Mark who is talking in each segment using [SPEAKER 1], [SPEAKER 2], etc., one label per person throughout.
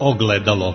[SPEAKER 1] ogledalo.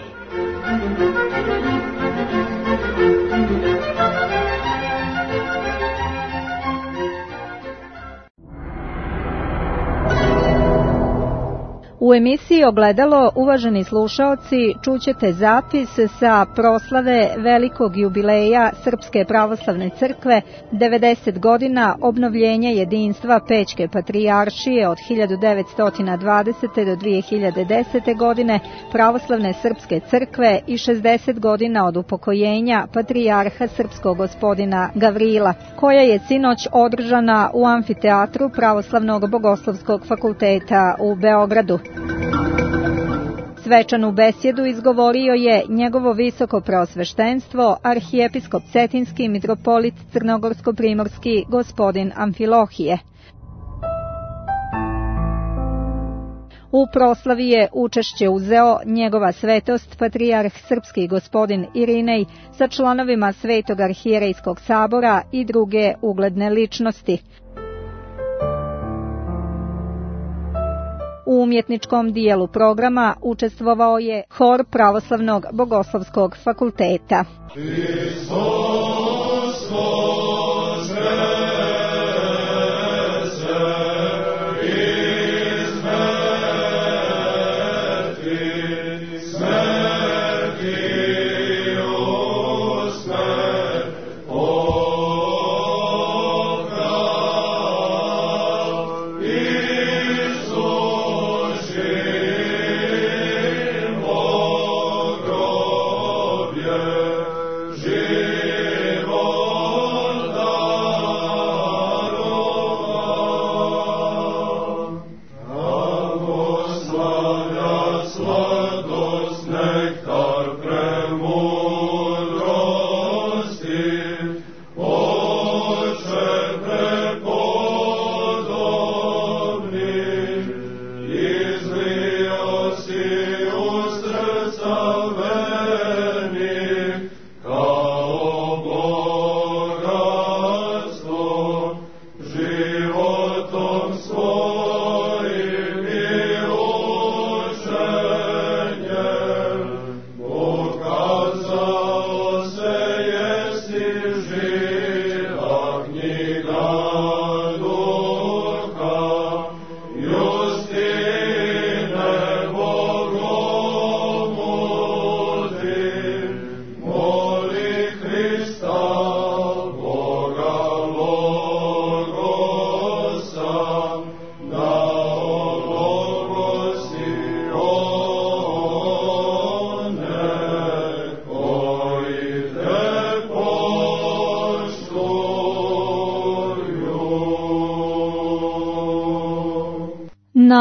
[SPEAKER 2] U emisiji Ogledalo, uvaženi slušaoci, čućete zapis sa proslave velikog jubileja Srpske pravoslavne crkve, 90 godina obnovljenja jedinstva Pećke patrijaršije od 1920. do 2010. godine pravoslavne srpske crkve i 60 godina od upokojenja patrijarha srpskog gospodina Gavrila, koja je sinoć održana u amfiteatru Pravoslavnog bogoslovskog fakulteta u Beogradu. Svečanu besjedu izgovorio je njegovo visoko preosveštenstvo, arhijepiskop Cetinski mitropolit Crnogorsko-primorski gospodin Amfilohije. U proslavi je učešće uzeo njegova svetost patrijarh srpski gospodin Irinej sa članovima Svetog arhijerejskog sabora i druge ugledne ličnosti. U umjetničkom dijelu programa učestvovao je hor Pravoslavnog bogoslovskog fakulteta.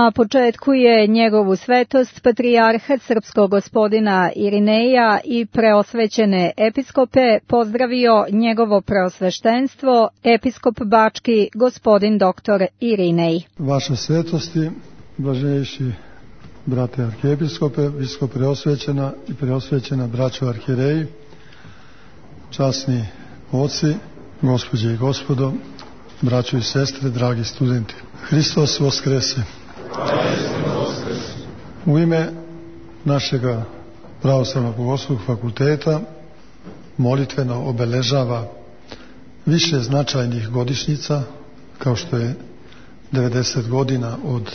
[SPEAKER 2] Na početku je njegovu svetost patrijarha srpskog gospodina Irineja i preosvećene episkope pozdravio njegovo preosveštenstvo, episkop bački gospodin doktor Irinej.
[SPEAKER 3] Vaše svetosti, blaženjejši brate arhijepiskope, visoko preosvećena i preosvećena braćo arhijereji, časni oci, gospođe i gospodo, braćo i sestre, dragi studenti. Hristos Voskrese! U ime našega Pravoslavnog bogoslovskog fakulteta molitveno obeležava više značajnih godišnjica, kao što je 90 godina od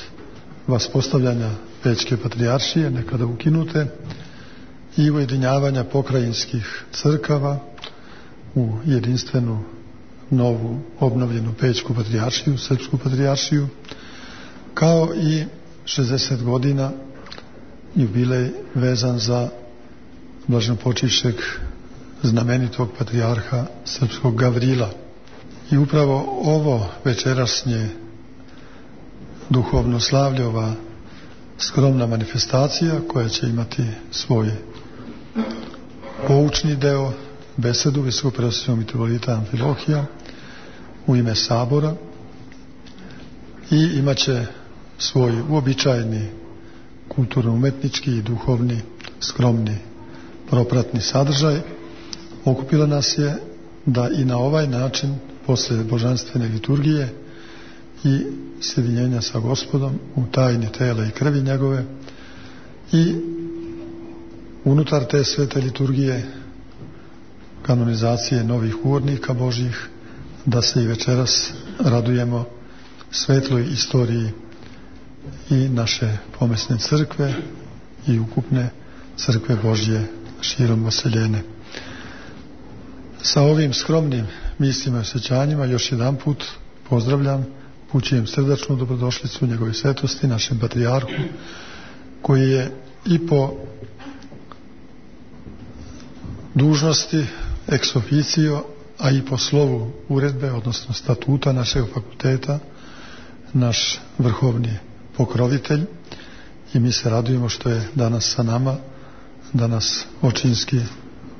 [SPEAKER 3] vaspostavljanja Pećke patrijaršije, nekada ukinute, i ujedinjavanja pokrajinskih crkava u jedinstvenu, novu, obnovljenu Pećku patrijaršiju, Srpsku patrijaršiju, kao i 60 godina jubilej vezan za blaženopočivšeg znamenitog patrijarha srpskog Gavrila. I upravo ovo večerašnje duhovno slavlje, ova skromna manifestacija koja će imati svoj poučni deo, besedu visokopreosvećenog mitropolita Amfilohija u ime sabora, i imaće svoj uobičajeni kulturno-umetnički i duhovni, skromni, propratni sadržaj. Okupila nas je da i na ovaj način, posle božanstvene liturgije i sjedinjenja sa Gospodom u tajni tela i krvi njegove, i unutar te svete liturgije kanonizacije novih urnika Božjih, da se i večeras radujemo svetloj istoriji i naše pomesne crkve i ukupne crkve Božje širom vaseljene. Sa ovim skromnim mislima i osjećanjima još jedan put pozdravljam, upućujem srdačnu dobrodošlicu njegove svetosti, našem patrijarhu, koji je i po dužnosti ex officio, a i po slovu uredbe, odnosno statuta našeg fakulteta, naš vrhovni pokrovitelj, i mi se radujemo što je danas sa nama, da nas očinski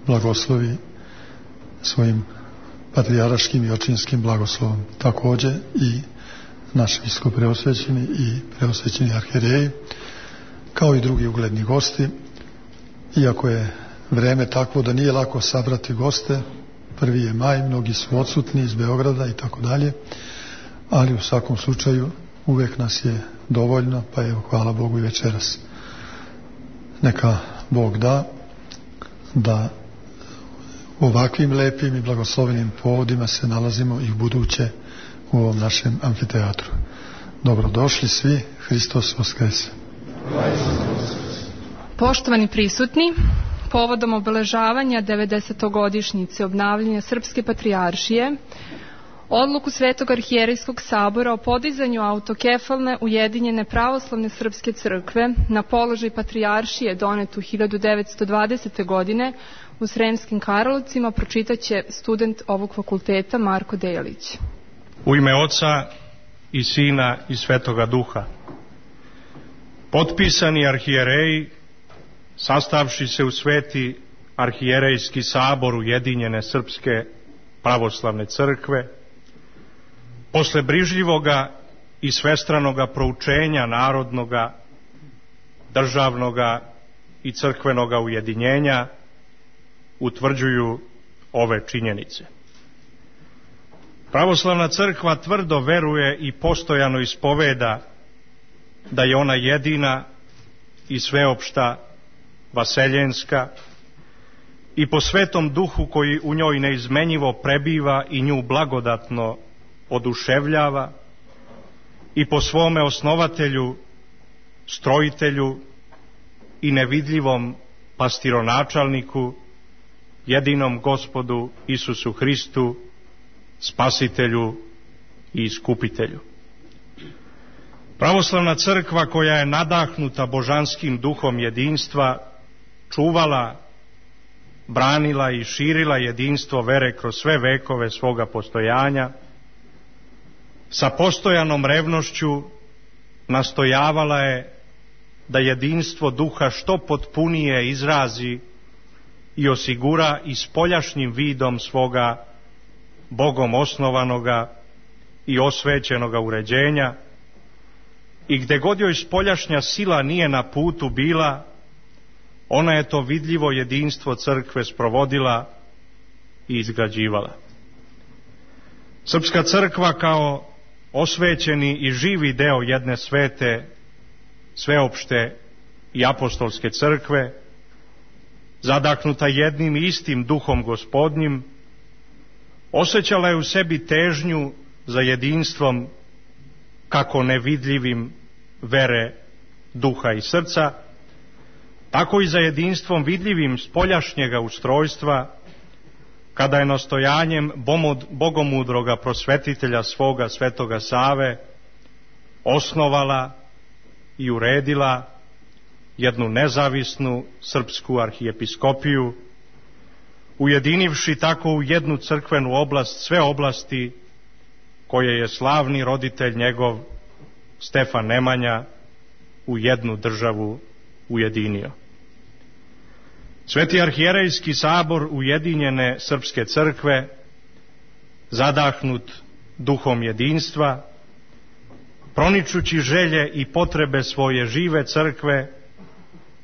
[SPEAKER 3] blagoslovi svojim patrijaraškim i očinskim blagoslovom. Također i naš biskup preosvećeni i preosvećeni arhijereji, kao i drugi ugledni gosti, iako je vreme takvo da nije lako sabrati goste. 1. je maj, mnogi su odsutni iz Beograda i tako dalje, ali u svakom slučaju uvek nas je dovoljno, pa evo, hvala Bogu i večeras. Neka Bog da ovakvim lepim i blagoslovenim povodima se nalazimo i u buduće u ovom našem amfiteatru. Dobrodošli svi, Hristos Voskrese.
[SPEAKER 1] Poštovani prisutni, povodom obeležavanja 90-godišnjice obnavljanja Srpske patrijaršije, odluku Svetog arhijerejskog sabora o podizanju autokefalne ujedinjene pravoslavne srpske crkve na položaj patrijaršije donetu 1920. godine u Sremskim Karlovcima pročitaće student ovog fakulteta Marko Delić.
[SPEAKER 4] U ime Oca i Sina i Svetoga Duha. Potpisani arhijereji, sastavši se u Sveti arhijerejski sabor ujedinjene Srpske pravoslavne crkve, posle brižljivoga i svestranoga proučenja narodnoga, državnoga i crkvenoga ujedinjenja, utvrđuju ove činjenice. Pravoslavna crkva tvrdo veruje i postojano ispoveda da je ona jedina i sveopšta, vaseljenska, i po Svetom Duhu koji u njoj neizmenjivo prebiva i nju blagodatno oduševljava, i po svome osnovatelju, strojitelju i nevidljivom pastironačalniku, jedinom Gospodu Isusu Hristu, Spasitelju i Iskupitelju. Pravoslavna crkva, koja je nadahnuta božanskim duhom jedinstva, čuvala, branila i širila jedinstvo vere kroz sve vekove svoga postojanja, sa postojanom revnošću nastojavala je da jedinstvo duha što potpunije izrazi i osigura i spoljašnjim vidom svoga Bogom osnovanoga i osvećenoga uređenja, i gde god joj spoljašnja sila nije na putu bila, ona je to vidljivo jedinstvo crkve sprovodila i izgrađivala. Srpska crkva kao osvećeni i živi deo jedne svete, sveopšte i apostolske crkve, zadahnuta jednim i istim duhom Gospodnjim, osjećala je u sebi težnju za jedinstvom kako nevidljivim vere, duha i srca, tako i za jedinstvom vidljivim spoljašnjega ustrojstva, kada je nastojanjem bogomudroga prosvetitelja svoga Svetoga Save osnovala i uredila jednu nezavisnu srpsku arhijepiskopiju, ujedinivši tako u jednu crkvenu oblast sve oblasti koje je slavni roditelj njegov Stefan Nemanja u jednu državu ujedinio. Sveti arhijerejski sabor ujedinjene Srpske crkve, zadahnut duhom jedinstva, proničući želje i potrebe svoje žive crkve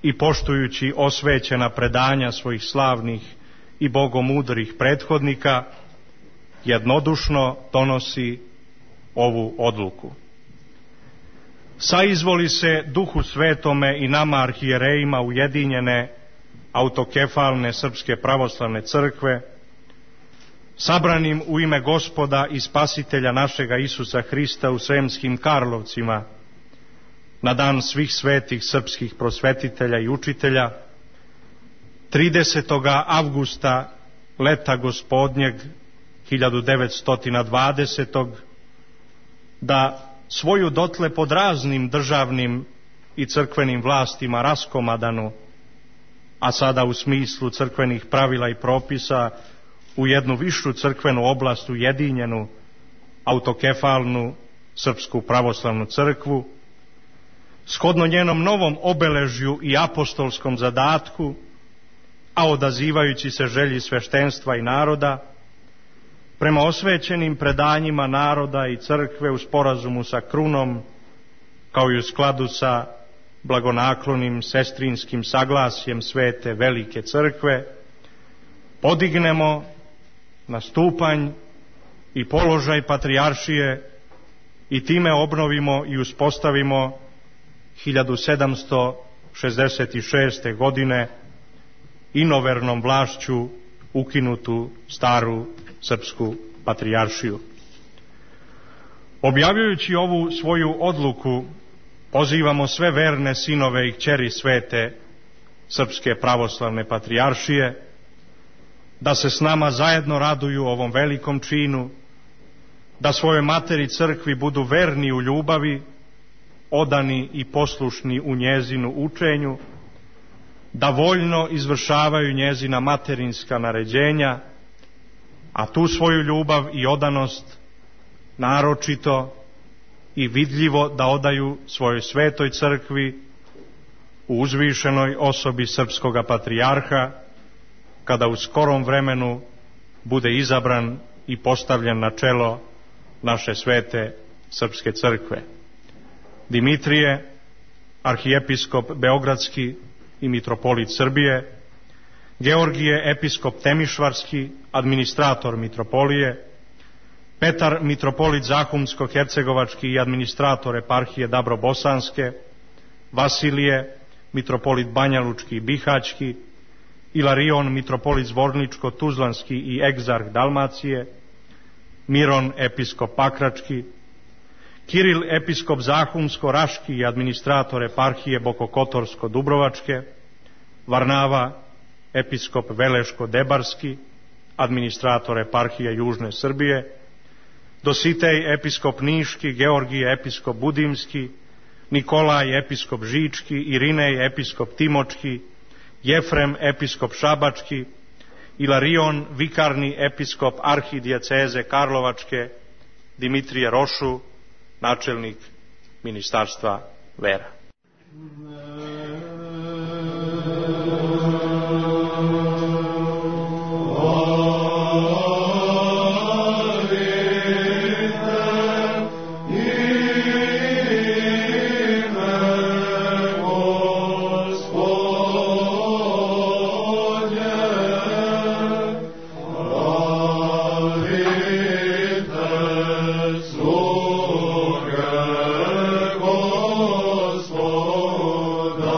[SPEAKER 4] i poštujući osvećena predanja svojih slavnih i bogomudrih prethodnika, jednodušno donosi ovu odluku. Saizvoli se Duhu Svetome i nama arhijerejima ujedinjene autokefalne Srpske pravoslavne crkve, sabranim u ime Gospoda i Spasitelja našega Isusa Hrista u Sremskim Karlovcima, na dan svih svetih srpskih prosvetitelja i učitelja, 30. avgusta leta gospodnjeg 1920. da svoju dotle pod raznim državnim i crkvenim vlastima raskomadanu, a sada u smislu crkvenih pravila i propisa u jednu višu crkvenu oblast ujedinjenu, autokefalnu Srpsku pravoslavnu crkvu, shodno njenom novom obeležju i apostolskom zadatku, a odazivajući se želji sveštenstva i naroda, prema osvećenim predanjima naroda i crkve u sporazumu sa krunom, kao i u skladu sa blagonaklonim sestrinskim saglasjem Svete Velike crkve, podignemo na stupanj i položaj patrijaršije i time obnovimo i uspostavimo 1766. godine inovernom vlašću ukinutu staru srpsku patrijaršiju. Objavljujući ovu svoju odluku, pozivamo sve verne sinove i kćeri Svete Srpske pravoslavne patrijaršije da se s nama zajedno raduju ovom velikom činu, da svojoj materi crkvi budu verni u ljubavi, odani i poslušni u njezinu učenju, da voljno izvršavaju njezina materinska naređenja, a tu svoju ljubav i odanost naročito i vidljivo da odaju svojoj svetoj crkvi u uzvišenoj osobi srpskoga patrijarha, kada u skorom vremenu bude izabran i postavljen na čelo naše svete srpske crkve. Dimitrije, arhijepiskop beogradski i mitropolit Srbije, Georgije, episkop Temišvarski, administrator mitropolije, Petar, mitropolit Zahumsko-hercegovački i administrator eparhije Dabro-Bosanske, Vasilije, mitropolit Banjalučki i Bihaćki, Ilarion, mitropolit Zvorničko-Tuzlanski i egzarh Dalmacije, Miron, episkop Pakrački, Kiril, episkop Zahumsko-Raški i administrator eparhije Bokokotorsko-Dubrovačke, Varnava, episkop Veleško-Debarski, administrator eparhije Južne Srbije, Dositej, episkop Niški, Georgije, episkop Budimski, Nikolaj, episkop Žički, Irinej, episkop Timočki, Jefrem, episkop Šabački, Ilarion, vikarni episkop arhidijeceze Karlovačke, Dimitrije Rošu, načelnik Ministarstva vera.
[SPEAKER 5] Gospoda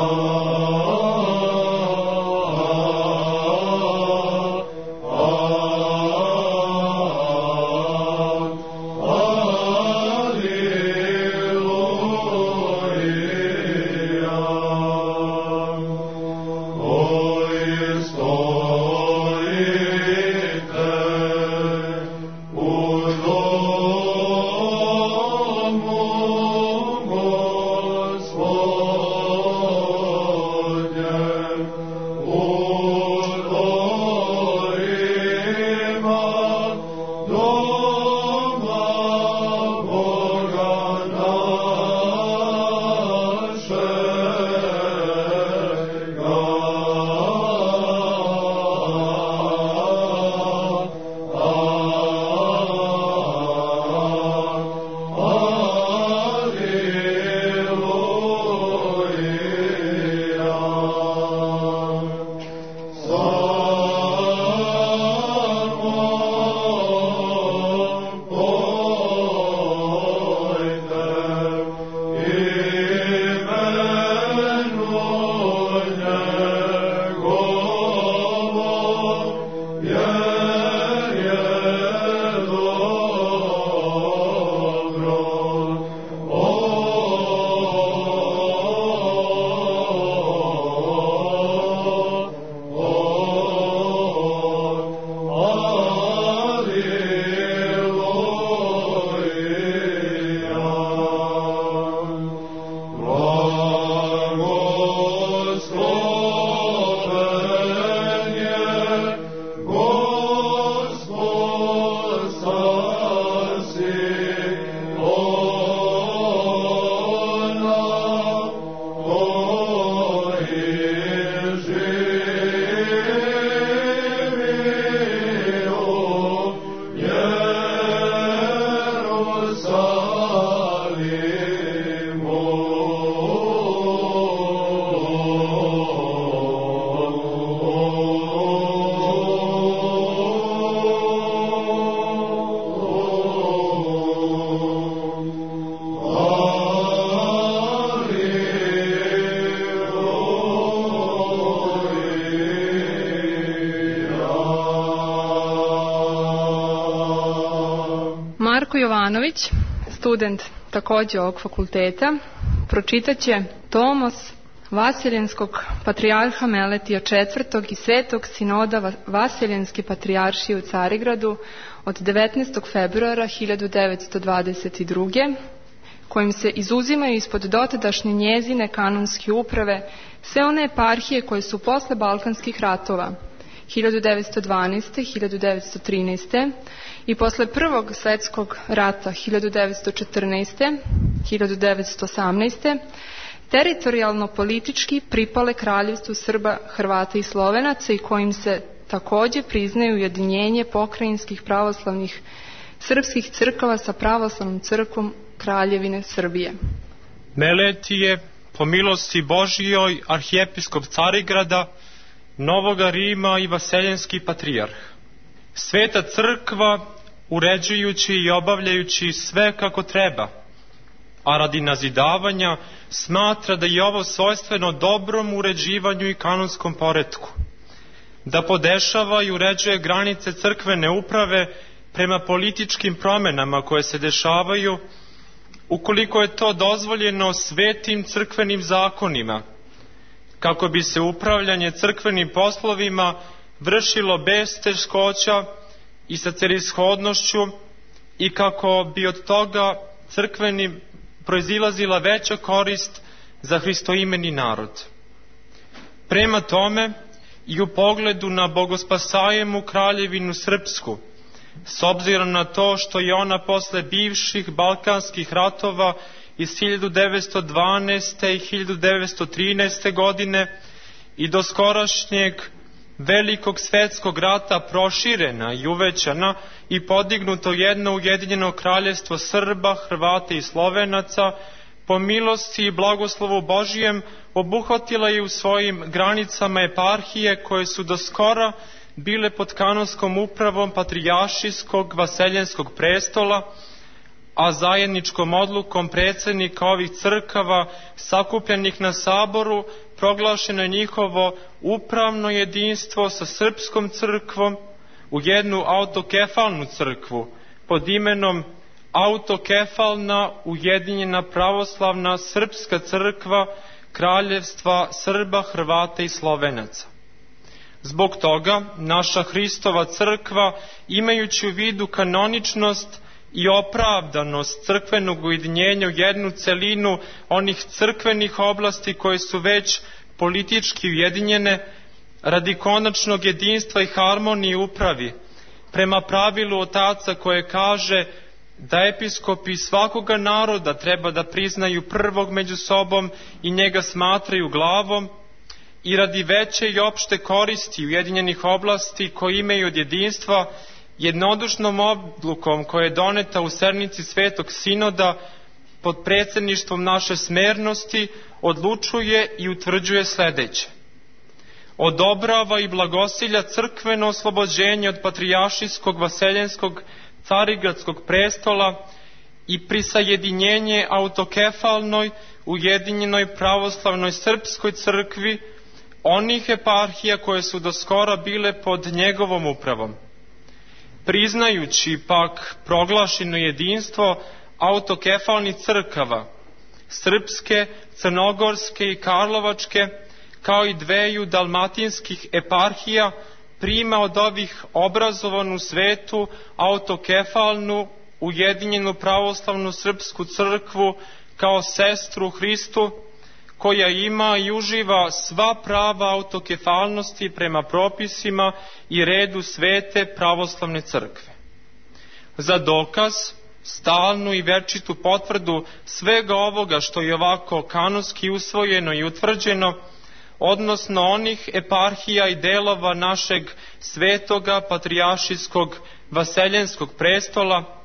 [SPEAKER 1] Marko Jovanović, student također ovog fakulteta, pročitat će Tomos Vaseljenskog patrijarha Meletija IV. I Svetog sinoda Vaseljenske patrijaršije u Carigradu od 19. februara 1922. kojim se izuzimaju ispod dotadašnje njezine kanonske uprave sve one eparhije koje su posle Balkanskih ratova 1912. 1913. i posle Prvog svjetskog rata 1914. 1918. teritorijalno politički pripale kraljevstvu Srba, Hrvata i Slovenaca i kojim se također priznaju ujedinjenje pokrajinskih pravoslavnih srpskih crkava sa pravoslavnom crkvom Kraljevine Srbije.
[SPEAKER 5] Meletije, po milosti Božijoj, arhijepiskop Carigrada, Novoga Rima i Vaseljenski patrijarh. Sveta crkva, uređujući i obavljajući sve kako treba, a radi nazidavanja smatra da je ovo svojstveno dobrom uređivanju i kanonskom poretku, da podešava i uređuje granice crkvene uprave prema političkim promjenama koje se dešavaju, ukoliko je to dozvoljeno svetim crkvenim zakonima, kako bi se upravljanje crkvenim poslovima vršilo bez teškoća i sa celishodnošću i kako bi od toga crkvenim proizilazila veća korist za hristoimeni narod. Prema tome i u pogledu na bogospasajemu Kraljevinu Srpsku, s obzirom na to što je ona posle bivših balkanskih ratova iz 1912. i 1913. godine i do skorašnjeg velikog svetskog rata proširena i uvećana i podignuto jedno ujedinjeno kraljevstvo Srba, Hrvata i Slovenaca, po milosti i blagoslovu Božijem obuhvatila je u svojim granicama eparhije koje su do skora bile pod kanonskom upravom patrijaršijskog Vaseljenskog prestola, a zajedničkom odlukom predsjednika ovih crkava sakupljenih na saboru proglašeno je njihovo upravno jedinstvo sa srpskom crkvom u jednu autokefalnu crkvu pod imenom Autokefalna ujedinjena pravoslavna srpska crkva Kraljevstva Srba, Hrvata i Slovenaca. Zbog toga naša Hristova crkva, imajući u vidu kanoničnost i opravdanost crkvenog ujedinjenja u jednu celinu onih crkvenih oblasti koje su već politički ujedinjene, radi konačnog jedinstva i harmonije upravi, prema pravilu otaca koje kaže da episkopi svakoga naroda treba da priznaju prvog među sobom i njega smatraju glavom, i radi veće i opšte koristi ujedinjenih oblasti koje imaju od jedinstva, jednodušnom odlukom koja je doneta u sednici Svetog sinoda pod predsjedništvom naše smernosti odlučuje i utvrđuje sljedeće: odobrava i blagosilja crkveno oslobođenje od patrijaršijskog Vaseljenskog Carigradskog prestola i prisajedinjenje autokefalnoj ujedinjenoj pravoslavnoj srpskoj crkvi, onih eparhija koje su do skora bile pod njegovom upravom. Priznajući pak proglašeno jedinstvo autokefalnih crkava, srpske, crnogorske i karlovačke, kao i dveju dalmatinskih eparhija, prima od ovih obrazovanu svetu autokefalnu ujedinjenu pravoslavnu srpsku crkvu kao sestru Hristu, koja ima i uživa sva prava autokefalnosti prema propisima i redu svete pravoslavne crkve. Za dokaz, stalnu i večitu potvrdu svega ovoga što je ovako kanonski usvojeno i utvrđeno, odnosno onih eparhija i delova našeg svetoga patrijaršijskog vaseljenskog prestola,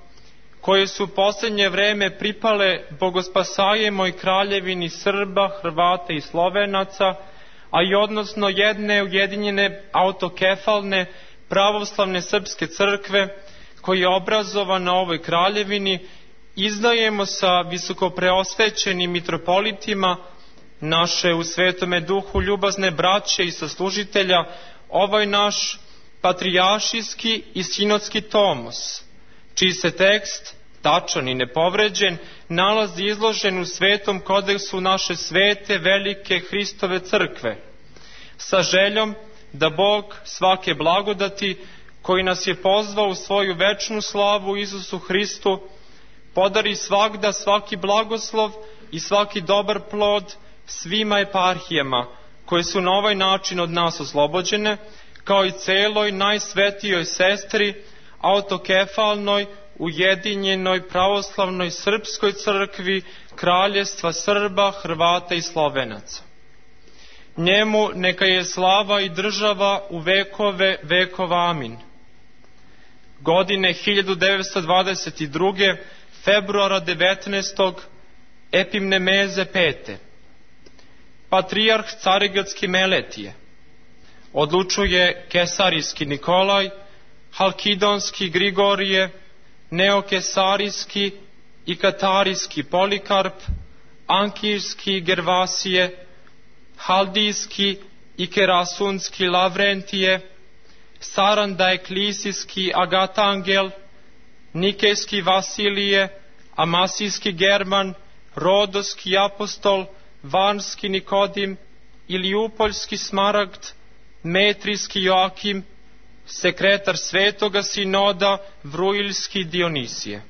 [SPEAKER 5] koje su u posljednje vreme pripale Bogospasajemoj kraljevini Srba, Hrvata i Slovenaca, a i odnosno jedne ujedinjene autokefalne pravoslavne srpske crkve, koja je obrazovana na ovoj kraljevini, izdajemo sa visokopreosvećenim mitropolitima naše u Svetome Duhu ljubazne braće i saslužitelja ovaj naš patrijaršijski i sinodski tomos, čiji se tekst, tačan i nepovređen, nalazi izložen u Svetom kodeksu naše svete, velike Hristove crkve, sa željom da Bog svake blagodati, koji nas je pozvao u svoju večnu slavu Isusu Hristu, podari svagda svaki blagoslov i svaki dobar plod svima eparhijama, koje su na ovaj način od nas oslobođene, kao i celoj najsvetijoj sestri, autokefalnoj, ujedinjenoj pravoslavnoj srpskoj crkvi Kraljevstva Srba, Hrvata i Slovenaca. Njemu neka je slava i država u vekove vekova. Amin. Godine 1922. februara 19. Epimnemeze 5. Patrijarh Carigradski Meletije odlučuje Kesarijski Nikolaj, Halkidonski Grigorije, Neokesarijski i Katarijski Polikarp, Ankirski Gervasije, Haldijski i Kerasunski Lavrentije, Saranda-Eklisijski Agatangel, Nikejski Vasilije, Amasijski German, Rodoski Apostol, Varnski Nikodim, Iliupoljski Smaragd, Metrijski Joakim, sekretar Svetoga Sinoda, Vrujiljski Dionisije.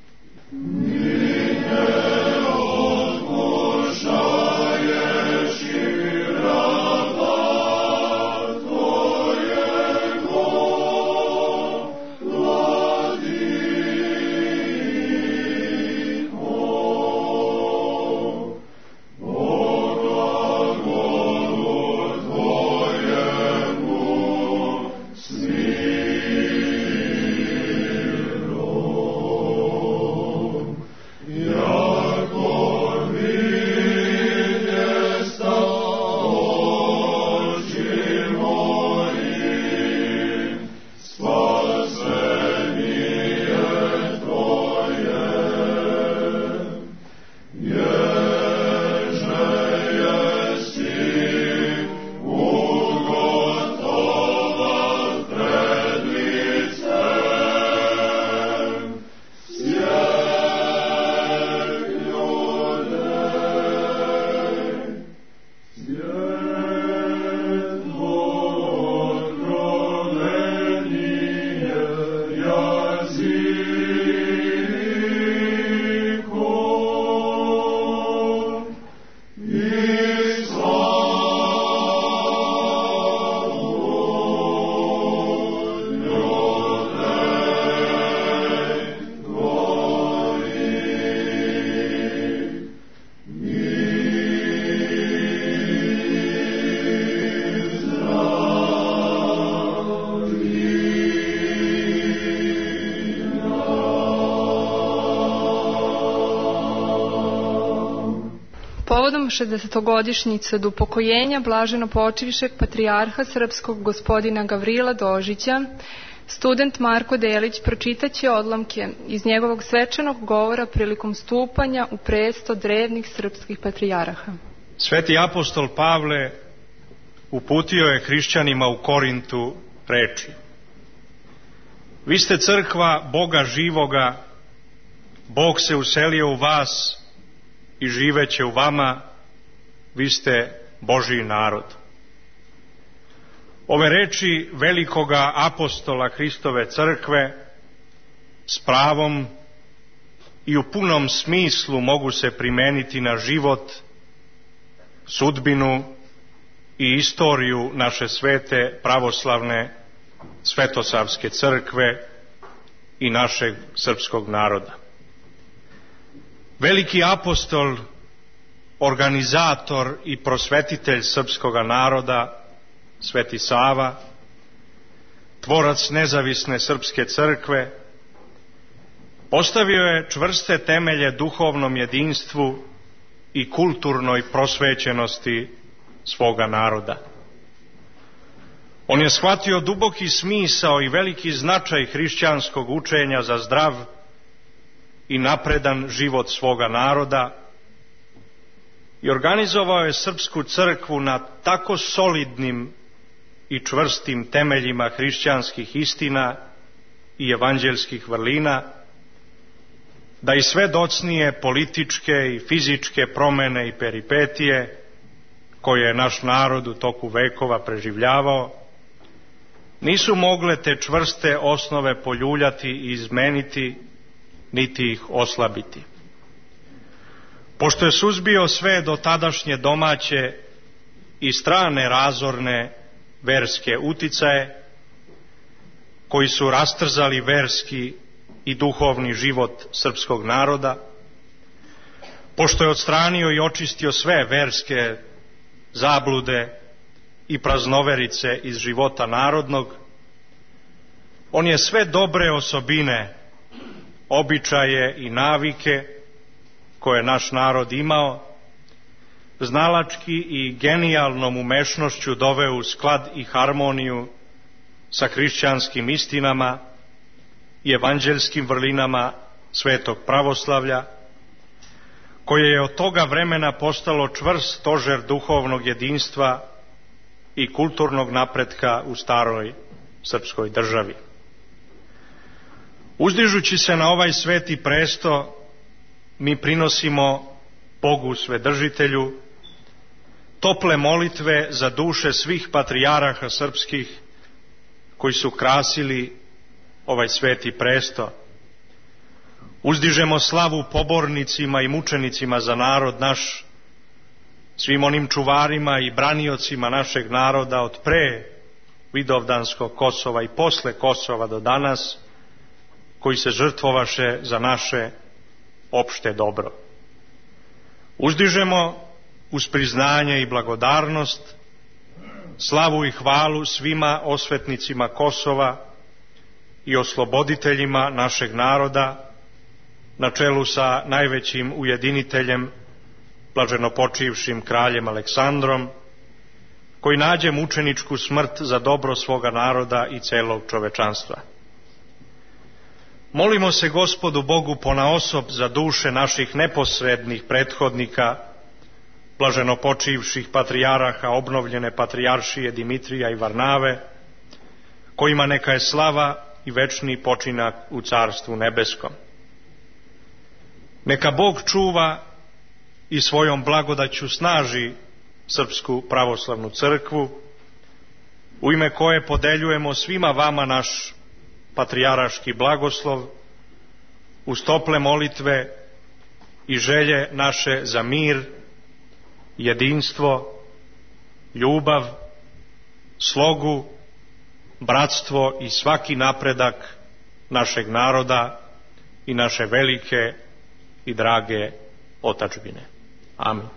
[SPEAKER 1] Povodom 60-godišnjice od upokojenja blaženo počivšeg patrijarha srpskog gospodina Gavrila Dožića, student Marko Delić pročitaće odlomke iz njegovog svečanog govora prilikom stupanja u presto drevnih srpskih patrijarha.
[SPEAKER 4] Sveti apostol Pavle uputio je hrišćanima u Korintu reči: vi ste crkva Boga živoga, Bog se uselio u vas i živeće u vama, vi ste Božji narod. Ove reči velikoga apostola Hristove crkve s pravom i u punom smislu mogu se primeniti na život, sudbinu i istoriju naše svete pravoslavne Svetosavske crkve i našeg srpskog naroda. Veliki apostol, organizator i prosvetitelj srpskoga naroda, Sveti Sava, tvorac nezavisne srpske crkve, postavio je čvrste temelje duhovnom jedinstvu i kulturnoj prosvećenosti svoga naroda. On je shvatio duboki smisao i veliki značaj hrišćanskog učenja za zdrav i napredan život svoga naroda i organizovao je srpsku crkvu na tako solidnim i čvrstim temeljima hrišćanskih istina i evanđelskih vrlina, da i sve docnije političke i fizičke promene i peripetije koje je naš narod u toku vekova preživljavao, nisu mogle te čvrste osnove poljuljati i izmeniti, niti ih oslabiti. Pošto je suzbio sve do tadašnje domaće i strane razorne verske uticaje, koji su rastrzali verski i duhovni život srpskog naroda, pošto je odstranio i očistio sve verske zablude i praznoverice iz života narodnog, on je sve dobre osobine, običaje i navike koje naš narod imao, znalački i genijalnom umešnošću doveo u sklad i harmoniju sa hrišćanskim istinama i evanđelskim vrlinama svetog pravoslavlja, koje je od toga vremena postalo čvrst stožer duhovnog jedinstva i kulturnog napretka u staroj srpskoj državi. Uzdižući se na ovaj sveti presto, mi prinosimo Bogu Svedržitelju tople molitve za duše svih patrijaraha srpskih koji su krasili ovaj sveti presto. Uzdižemo slavu pobornicima i mučenicima za narod naš, svim onim čuvarima i braniocima našeg naroda od pre Vidovdanskog Kosova i posle Kosova do danas, koji se žrtvovaše za naše opšte dobro. Uzdižemo uz priznanje i blagodarnost slavu i hvalu svima osvetnicima Kosova i osloboditeljima našeg naroda, na čelu sa najvećim ujediniteljem, blaženopočivšim kraljem Aleksandrom, koji nađe mučeničku smrt za dobro svoga naroda i celog čovečanstva. Molimo se Gospodu Bogu ponaosob za duše naših neposrednih prethodnika, blaženopočivših patrijaraha obnovljene patrijaršije Dimitrija i Varnave, kojima neka je slava i večni počinak u Carstvu nebeskom. Neka Bog čuva i svojom blagodaću snaži Srpsku pravoslavnu crkvu, u ime koje podeljujemo svima vama naš patrijaraški blagoslov, uz tople molitve i želje naše za mir, jedinstvo, ljubav, slogu, bratstvo i svaki napredak našeg naroda i naše velike i drage otadžbine. Amin.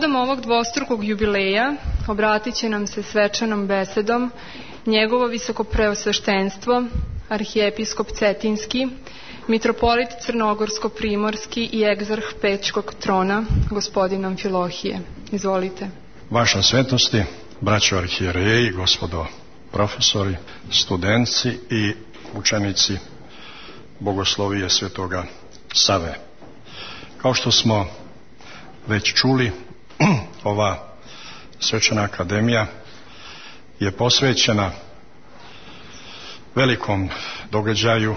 [SPEAKER 1] Povodom ovog dvostrukog jubileja obratit će nam se svečanom besedom njegovo visoko preosveštenstvo, arhijepiskop Cetinski, mitropolit Crnogorsko-primorski i egzarh Pećkog trona, gospodin Amfilohije. Izvolite.
[SPEAKER 6] Vaša svetosti, braćo arhijereji, gospodo profesori, studentci i učenici Bogoslovije Svetoga Save. Kao što smo već čuli, ova svečana akademija je posvećena velikom događaju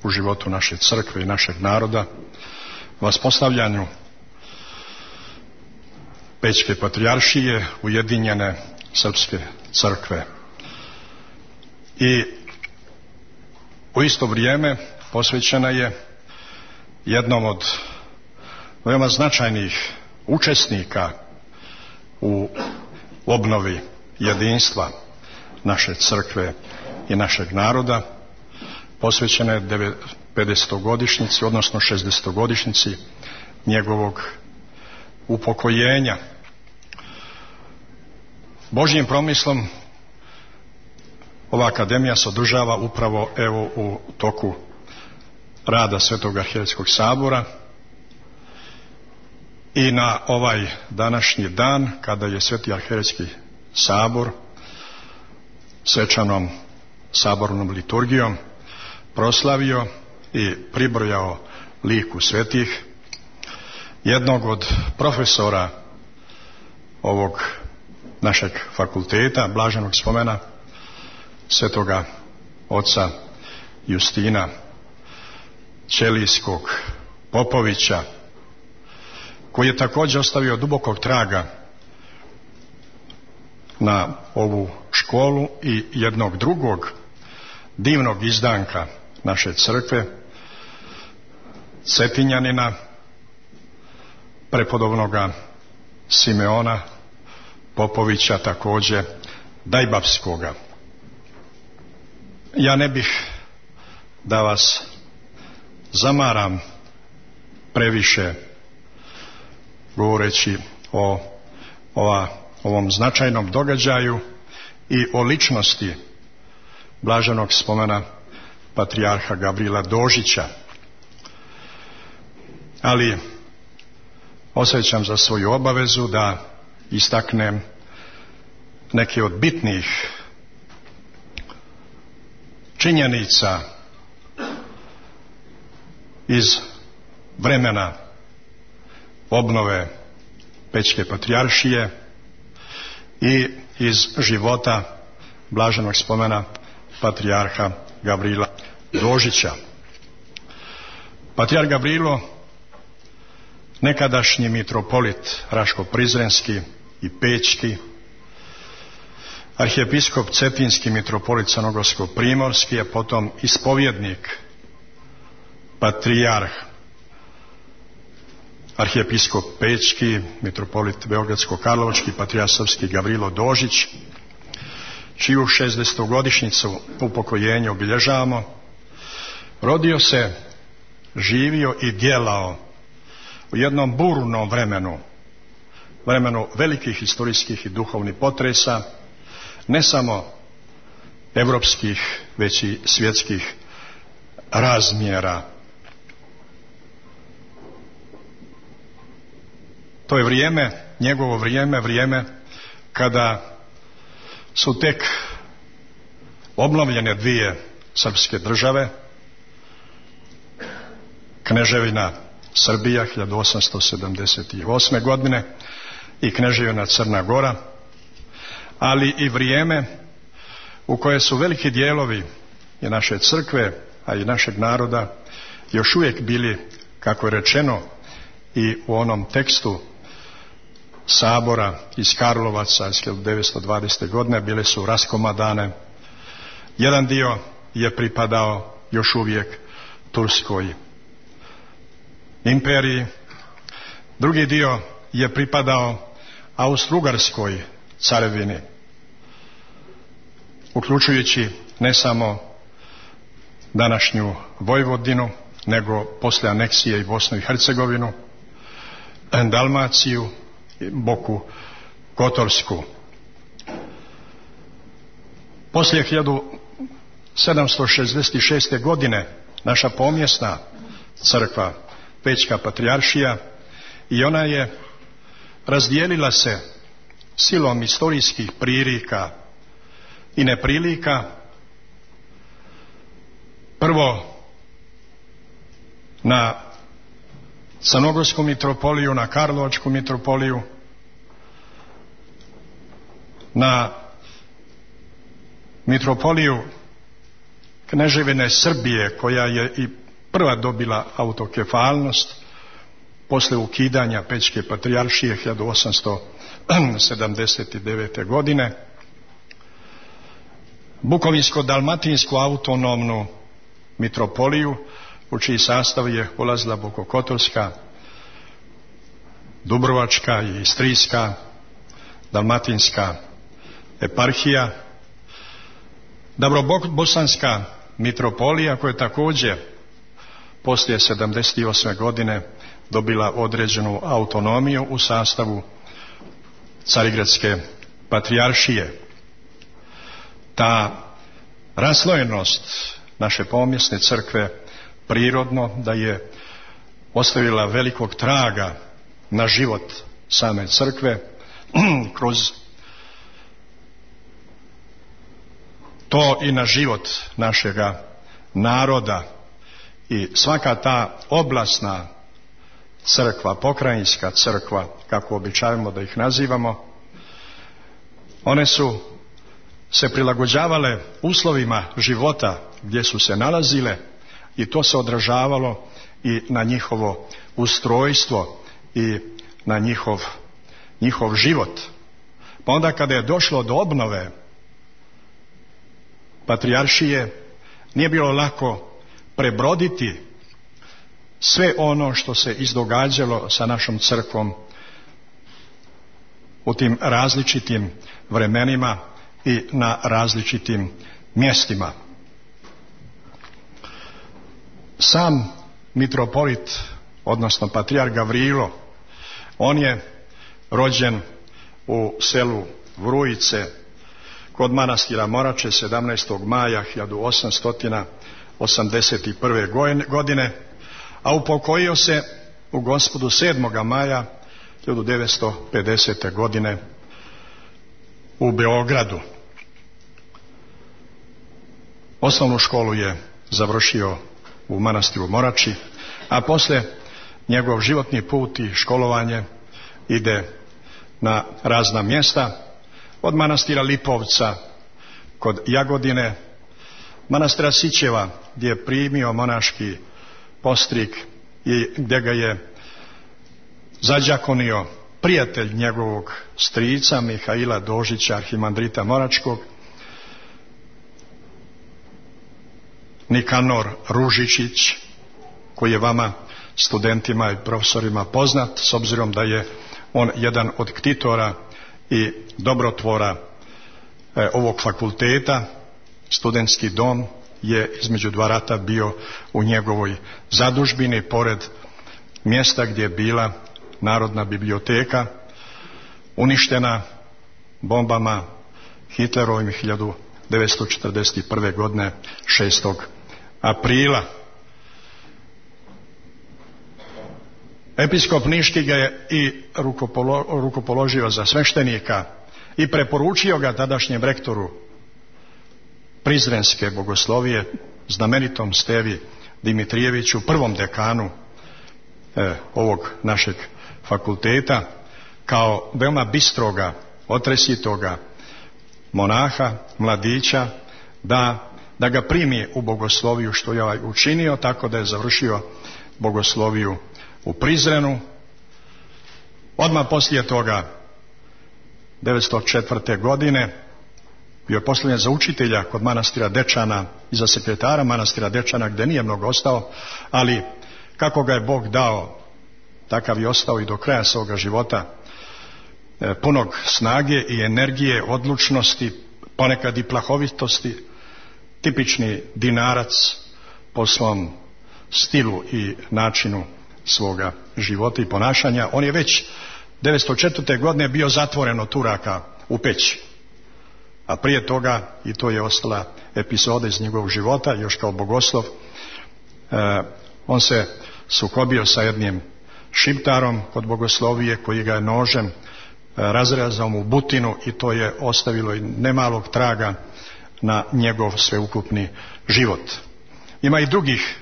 [SPEAKER 6] u životu naše crkve i našeg naroda, vaspostavljanju Pećke patrijaršije, ujedinjene srpske crkve. I u isto vrijeme posvećena je jednom od veoma značajnih učesnika u obnovi jedinstva naše crkve i našeg naroda, posvećena je 50-godišnjici, odnosno 60-godišnjici njegovog upokojenja. Božjim promislom ova akademija se održava upravo evo u toku rada Svetog arhijerejskog sabora i na ovaj današnji dan kada je Sveti arhijerejski sabor svečanom sabornom liturgijom proslavio i pribrojao liku svetih jednog od profesora ovog našeg fakulteta, blaženog spomena svetoga oca Justina Ćelijskog Popovića, koji je također ostavio dubokog traga na ovu školu i jednog drugog divnog izdanka naše crkve, Cetinjanina, prepodobnoga Simeona Popovića, također Dajbavskoga. Ja ne bih da vas zamaram previše govoreći o ovom značajnom događaju i o ličnosti blaženog spomena patrijarha Gavrila Dožića. Ali osjećam za svoju obavezu da istaknem neke od bitnih činjenica iz vremena obnove Pećke patrijaršije i iz života blaženog spomena patrijarha Gavrila Dožića. Patrijarh Gavrilo, nekadašnji mitropolit Raško-Prizrenski i Pećki, arhijepiskop Cetinski, mitropolit Crnogorsko-primorski, a potom ispovjednik, patrijarh, arhijepiskop Pećki, mitropolit Beogradsko-Karlovački, patrijarh srpski Gavrilo Dožić, čiju 60-godišnjicu upokojenja obilježavamo, rodio se, živio i djelao u jednom burnom vremenu velikih historijskih i duhovnih potresa, ne samo evropskih, već i svjetskih razmjera. To je vrijeme, njegovo vrijeme kada su tek obnovljene dvije srpske države, Kneževina Srbija 1878. godine i Kneževina Crna Gora, ali i vrijeme u koje su veliki dijelovi i naše crkve, a i našeg naroda još uvijek bili, kako je rečeno i u onom tekstu sabora iz Karlovaca iz 1920. godine, bile su raskomadane. Jedan dio je pripadao još uvijek Turskoj imperiji, drugi dio je pripadao Austro-Ugarskoj carevini, uključujući ne samo današnju Vojvodinu, nego poslije aneksije i Bosnu i Hercegovinu, Dalmaciju Boku Kotorsku. Poslije 1766. godine naša pomjesna crkva, Pećka patrijaršija, i ona je razdijelila se silom istorijskih prilika i neprilika, prvo na Crnogorsku mitropoliju, na Karlovačku mitropoliju, na mitropoliju Kneževine Srbije, koja je i prva dobila autokefalnost posle ukidanja Pećke patrijaršije 1879. godine, Bukovinsko-dalmatinsku autonomnu mitropoliju, u čiji sastav je ulazila Bokokotorska, Dubrovačka i Istrijska, Dalmatinska eparhija, Davrobosanska mitropolija, koja je također poslije 78. godine dobila određenu autonomiju u sastavu Carigradske patrijaršije. Ta raslojenost naše pomjesne crkve prirodno da je ostavila velikog traga na život same crkve kroz to i na život našega naroda, i svaka ta oblasna crkva, pokrajinska crkva, kako običavamo da ih nazivamo, one su se prilagođavale uslovima života gdje su se nalazile, i to se odražavalo i na njihovo ustrojstvo i na njihov život. Pa onda kada je došlo do obnove patrijaršije, nije bilo lako prebroditi sve ono što se izdogađalo sa našom crkvom u tim različitim vremenima i na različitim mjestima. Sam mitropolit, odnosno patrijarh Gavrilo, on je rođen u selu Vrujice kod manastira Morače 17. maja 1881. godine, a upokojio se u Gospodu 7. maja 1950. godine u Beogradu. Osnovnu školu je završio u manastiru Morači, a poslije njegov životni put i školovanje ide na razna mjesta, od manastira Lipovca kod Jagodine, manastira Sićeva gdje je primio monaški postrik i gdje ga je zađakonio prijatelj njegovog strica Mihaila Dožića, arhimandrita Moračkog, Nikanor Ružičić, koji je vama studentima i profesorima poznat, s obzirom da je on jedan od ktitora i dobrotvora ovog fakulteta. Studentski dom je između dva rata bio u njegovoj zadužbini, pored mjesta gdje je bila Narodna biblioteka, uništena bombama Hitlerovim 1941. godine 6. aprila. Episkop Niški ga je i rukopoložio za sveštenika i preporučio ga tadašnjem rektoru Prizrenske bogoslovije, znamenitom Stevi Dimitrijeviću, prvom dekanu ovog našeg fakulteta, kao veoma bistroga, otresitoga monaha, mladića, da ga primi u bogosloviju, što je učinio, tako da je završio bogosloviju u Prizrenu. Odmah poslije toga 1904. godine bio je postavljen za učitelja kod manastira Dečana i za sekretara manastira Dečana, gdje nije mnogo ostao, ali kako ga je Bog dao, takav je ostao i do kraja svoga života, punog snage i energije, odlučnosti, ponekad i plahovitosti, tipični Dinarac po svom stilu i načinu svoga života i ponašanja. On je već 1904. godine bio zatvoren od Turaka u Peći. A prije toga, i to je ostala epizoda iz njegovog života, još kao bogoslov, on se sukobio sa jednim šiptarom kod bogoslovije koji ga je nožem razrezao mu butinu i to je ostavilo i nemalog traga na njegov sveukupni život. Ima i drugih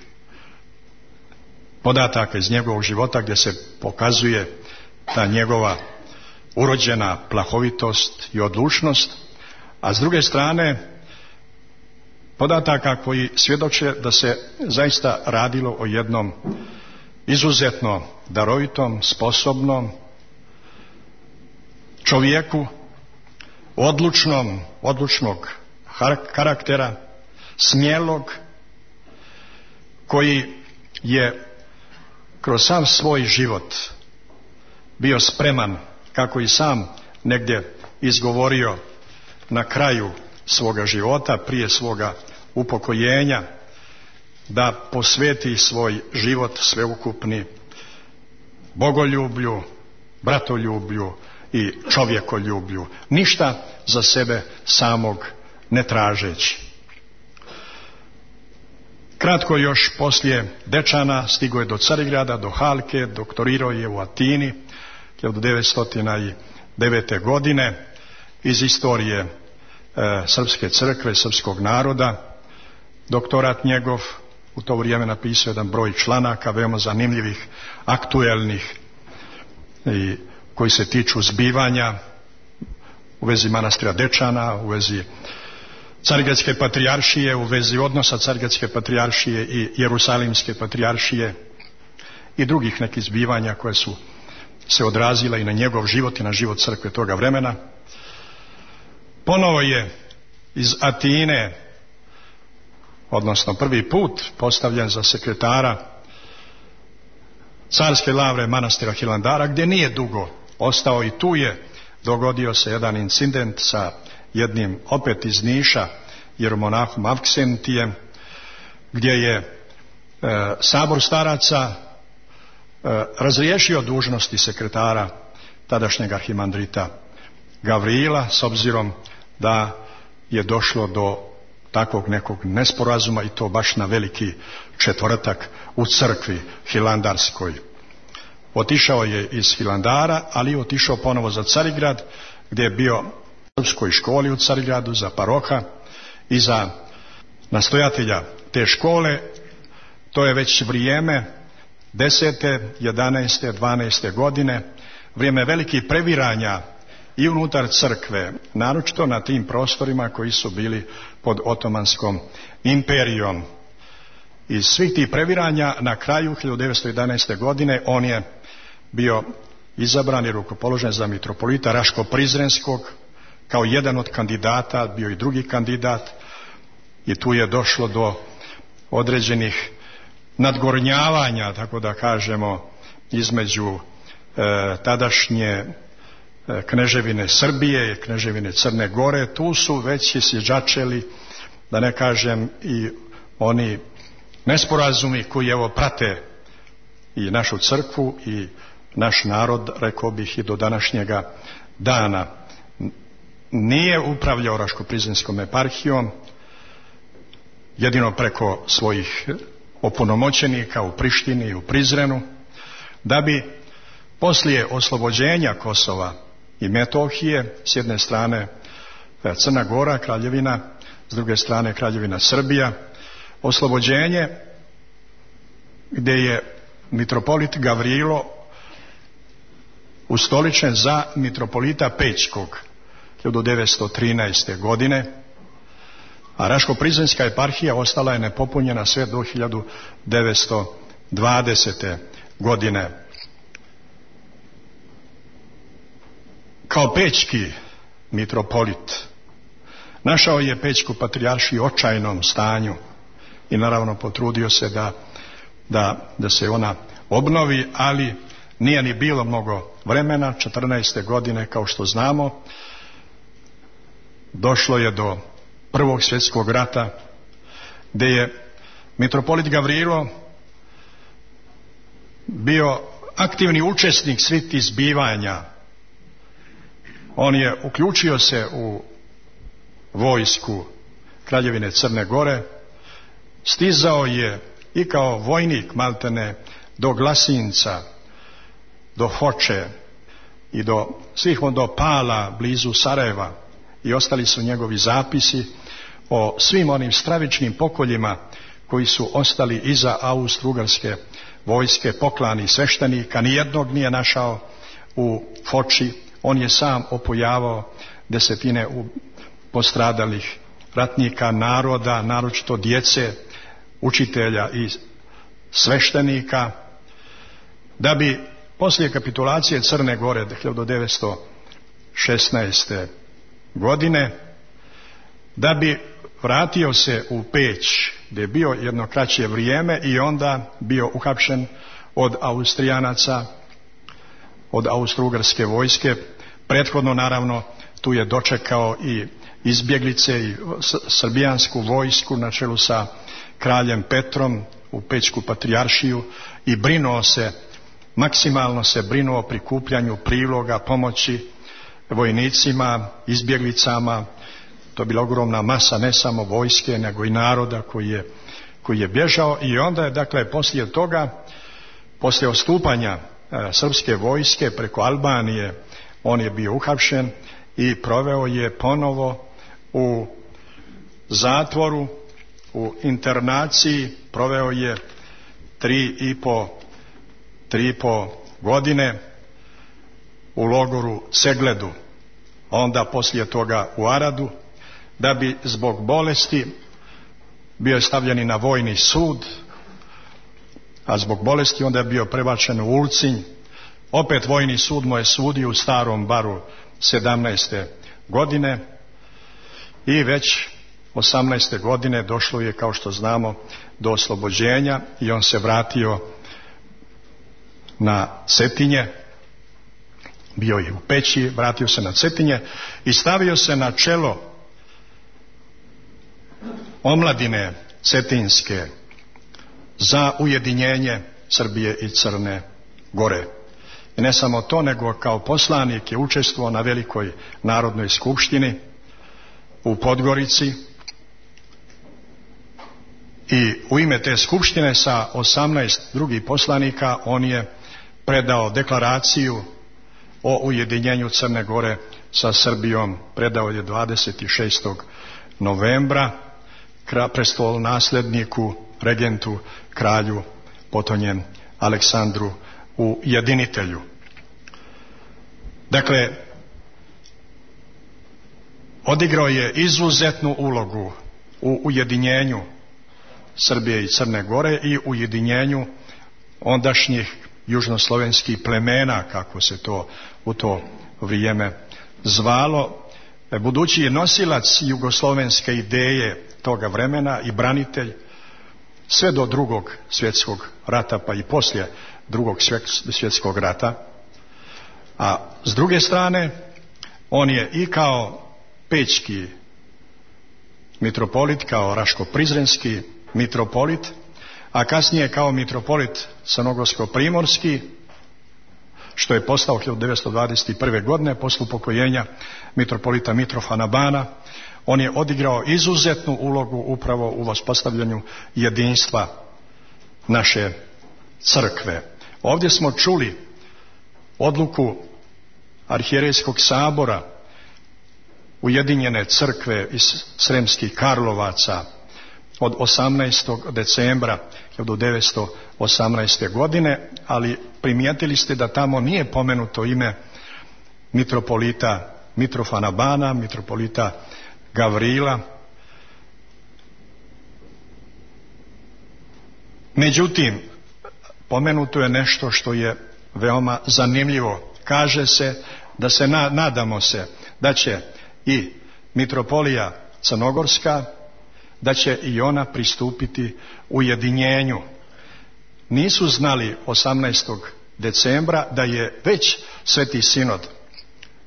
[SPEAKER 6] podataka iz njegovog života gdje se pokazuje ta njegova urođena plahovitost i odlučnost, a s druge strane podataka koji svjedoče da se zaista radilo o jednom izuzetno darovitom, sposobnom čovjeku, odlučnog karaktera, smjelog, koji je kroz sam svoj život bio spreman, kako i sam negdje izgovorio na kraju svoga života, prije svoga upokojenja, da posveti svoj život sveukupni bogoljublju, bratoljublju i čovjekoljublju, ništa za sebe samog ne tražeći. Kratko još poslije Dečana stigao je do Carigrada, do Halke, doktorirao je u Atini 1909. godine iz istorije srpske crkve, srpskog naroda. Doktorat njegov u to vrijeme napisao jedan broj članaka veoma zanimljivih, aktuelnih i koji se tiču zbivanja u vezi manastira Dečana, u vezi Carigradske patrijaršije, u vezi odnosa Carigradske patrijaršije i Jerusalimske patrijaršije i drugih nekih zbivanja koje su se odrazila i na njegov život i na život crkve toga vremena. Ponovo je iz Atine, odnosno prvi put postavljen za sekretara carske lavre manastira Hilandara, gdje nije dugo ostao i tu je dogodio se jedan incident sa jednim opet iz Niša jeromonahom Avksentijem, gdje je sabor staraca razriješio dužnosti sekretara tadašnjeg arhimandrita Gavrila, s obzirom da je došlo do takvog nekog nesporazuma i to baš na veliki četvrtak u crkvi hilandarskoj. Otišao je iz Hilandara, ali je otišao ponovo za Carigrad, gdje je bio u srpskoj školi u Carigradu za paroha i za nastojatelja te škole. To je već vrijeme 10., 11., 12. godine, vrijeme velikih previranja i unutar crkve, naročito na tim prostorima koji su bili pod Otomanskom imperijom. Iz svih tih previranja na kraju 1911. godine on je bio izabran i rukopoložen za mitropolita Raško-Prizrenskog kao jedan od kandidata, bio i drugi kandidat, i tu je došlo do određenih nadgornjavanja, tako da kažemo, između tadašnje kneževine Srbije i kneževine Crne Gore. Tu su već isjeđačeli, da ne kažem, i oni nesporazumi koji evo prate i našu crkvu i naš narod, rekao bih, i do današnjega dana. Nije upravljao Raško-Prizrenskom eparhijom, jedino preko svojih opunomoćenika u Prištini i u Prizrenu, da bi poslije oslobođenja Kosova i Metohije, s jedne strane Crna Gora, kraljevina, s druge strane kraljevina Srbija, oslobođenje gdje je mitropolit Gavrilo ustoličen za mitropolita Pećkog 1913. godine, a Raško-Prizrenska eparhija ostala je nepopunjena sve do 1920. godine. Kao pećki mitropolit našao je Pećku patrijaršiju u očajnom stanju i naravno potrudio se da se ona obnovi, ali nije ni bilo mnogo vremena. 14. godine, kao što znamo, došlo je do Prvog svjetskog rata, gdje je mitropolit Gavrilo bio aktivni učesnik svih tih zbivanja. On je uključio se u vojsku Kraljevine Crne Gore, stizao je i kao vojnik maltene do Glasinca, do Foče i do svih do Pala blizu Sarajeva, i ostali su njegovi zapisi o svim onim stravičnim pokoljima koji su ostali iza Austro-Ugarske vojske, poklani sveštenika. Nijednog nije našao u Foči. On je sam opojavao desetine postradalih ratnika, naroda, naročito djece, učitelja i sveštenika, da bi poslije kapitulacije Crne Gore 1916. godine, da bi vratio se u Peć, gdje je bio jedno kraće vrijeme i onda bio uhapšen od Austrijanaca, od Austro-Ugarske vojske. Prethodno, naravno, tu je dočekao i izbjeglice i srbijansku vojsku na čelu sa kraljem Petrom u Pećku patrijaršiju i brinuo se, maksimalno se brinuo o prikupljanju priloga, pomoći vojnicima, izbjeglicama. To je bila ogromna masa ne samo vojske nego i naroda koji je bježao. I onda je, dakle, poslije toga, poslije odstupanja srpske vojske preko Albanije, on je bio uhapšen i proveo je ponovo u zatvoru, u internaciji, proveo je 3,5 godine u logoru Cegledu, onda poslije toga u Aradu, da bi zbog bolesti bio je stavljen i na vojni sud, a zbog bolesti onda je bio prebačen u Ulcinj. Opet vojni sud mu je sudio u Starom Baru 17. godine i već 18. godine došlo je, kao što znamo, do oslobođenja i on se vratio na Cetinje, bio je u Peći, vratio se na Cetinje i stavio se na čelo omladine cetinske za ujedinjenje Srbije i Crne Gore. I ne samo to, nego kao poslanik je učestvovao na velikoj narodnoj skupštini u Podgorici i u ime te skupštine sa 18 drugih poslanika on je predao deklaraciju o ujedinjenju Crne Gore sa Srbijom. Predao je 26. novembra prestolonasledniku, regentu, kralju potonjem Aleksandru Ujedinitelju. Dakle, odigrao je izuzetnu ulogu u ujedinjenju Srbije i Crne Gore i ujedinjenju ondašnjih južnoslovenskih plemena, kako se to u to vrijeme zvalo, budući je nosilac jugoslovenske ideje toga vremena i branitelj sve do Drugog svjetskog rata, pa i poslije Drugog svjetskog rata. A s druge strane, on je i kao pećki mitropolit, kao raško-prizrenski mitropolit, a kasnije kao mitropolit crnogorsko-primorski, što je postao 1921. godine posle upokojenja mitropolita Mitrofana Bana, on je odigrao izuzetnu ulogu upravo u uspostavljanju jedinstva naše crkve. Ovdje smo čuli odluku Arhijerejskog sabora Ujedinjene crkve iz Sremskih Karlovaca od 18. decembra 1918. godine, ali primijetili ste da tamo nije pomenuto ime mitropolita Mitrofana Bana, mitropolita Gavrila. Međutim, pomenuto je nešto što je veoma zanimljivo. Kaže se da se nadamo se da će i mitropolija Crnogorska, da će i ona pristupiti ujedinjenju. Nisu znali 18. decembra da je već Sveti sinod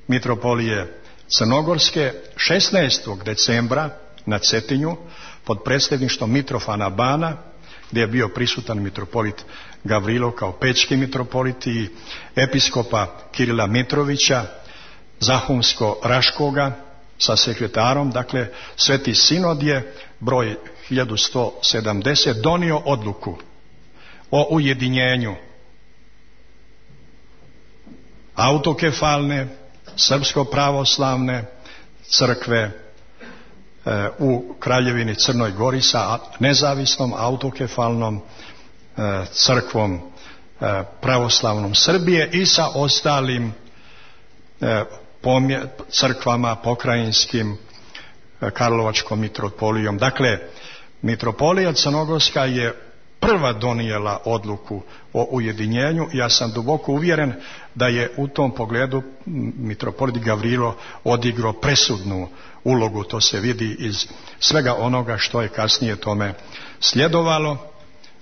[SPEAKER 6] mitropolije Crnogorske 16. decembra na Cetinju pod predsjedništvom Mitrofana Bana gdje je bio prisutan mitropolit Gavrilo kao pećki mitropolit i episkopa Kirila Mitrovića, Zahumsko-Raškoga sa sekretarom. Dakle, Sveti sinod je broj 1170 donio odluku o ujedinjenju autokefalne srpsko-pravoslavne crkve u Kraljevini Crnoj Gori sa nezavisnom autokefalnom crkvom pravoslavnom Srbije i sa ostalim crkvama pokrajinskim, Karlovačkom mitropolijom. Dakle, mitropolija Crnogorska je prva donijela odluku o ujedinjenju. Ja sam duboko uvjeren da je u tom pogledu mitropolit Gavrilo odigrao presudnu ulogu. To se vidi iz svega onoga što je kasnije tome sljedovalo.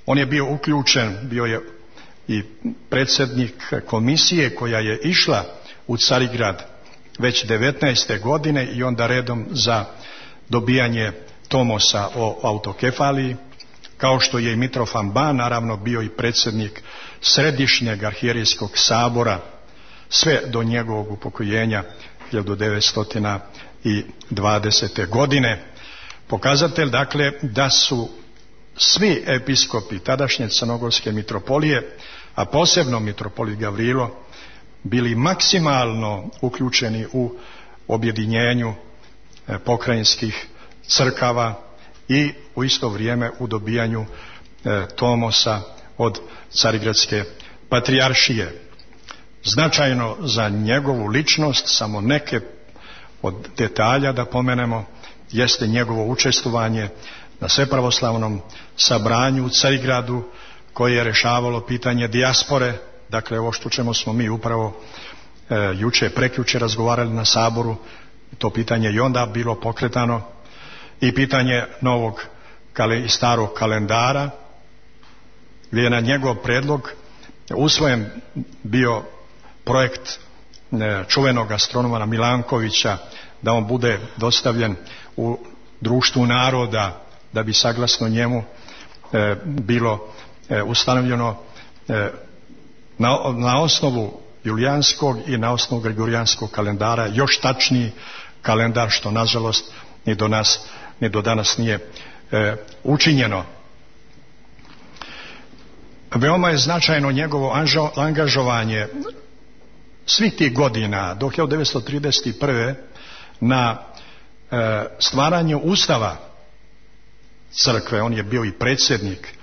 [SPEAKER 6] On je bio uključen, bio je i predsjednik komisije koja je išla u Carigrad već 19. godine i onda redom za dobijanje tomosa o autokefaliji, kao što je i Mitrofan Ban naravno bio i predsjednik Središnjeg arhijerijskog sabora sve do njegovog upokojenja 1920. godine. Pokazatelj dakle da su svi episkopi tadašnje crnogorske mitropolije, a posebno mitropolit Gavrilo, bili maksimalno uključeni u objedinjenju pokrajinskih crkava i u isto vrijeme u dobijanju tomosa od Carigradske patrijaršije. Značajno za njegovu ličnost, samo neke od detalja da pomenemo, jeste njegovo učestvovanje na svepravoslavnom sabranju u Carigradu koje je rješavalo pitanje dijaspore. Dakle, ovo što čemu smo mi upravo prekjuče razgovarali na saboru, to pitanje i onda bilo pokretano, i pitanje novog i starog kalendara, gdje je na njegov predlog usvojen bio projekt čuvenog astronoma Milankovića da on bude dostavljen u Društvu naroda, da bi saglasno njemu bilo ustanovljeno na osnovu julijanskog i na osnovu gregorijanskog kalendara još tačniji kalendar, što nažalost ni do danas nije učinjeno. Veoma je značajno njegovo angažovanje svih tih godina do 1931. na stvaranju ustava crkve. On je bio i predsjednik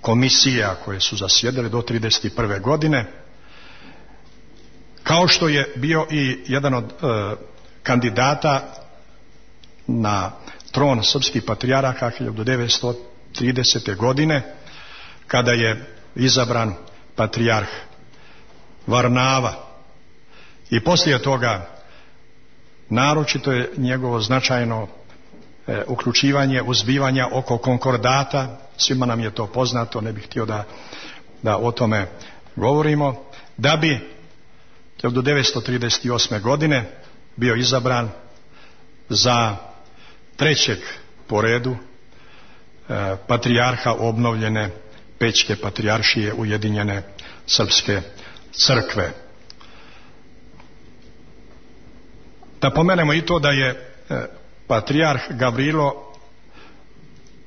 [SPEAKER 6] komisija koje su zasjedale do 1931. godine, kao što je bio i jedan od kandidata na tron srpskih patrijarha 1930. godine, kada je izabran patrijarh Varnava. I poslije toga naročito je njegovo značajno uključivanje uzbivanja oko konkordata. Svima nam je to poznato, ne bih htio da o tome govorimo, da bi 1938. godine bio izabran za trećeg po redu patrijarha obnovljene Pećke patrijaršije Ujedinjene srpske crkve. Da pomenemo i to da je patrijarh Gavrilo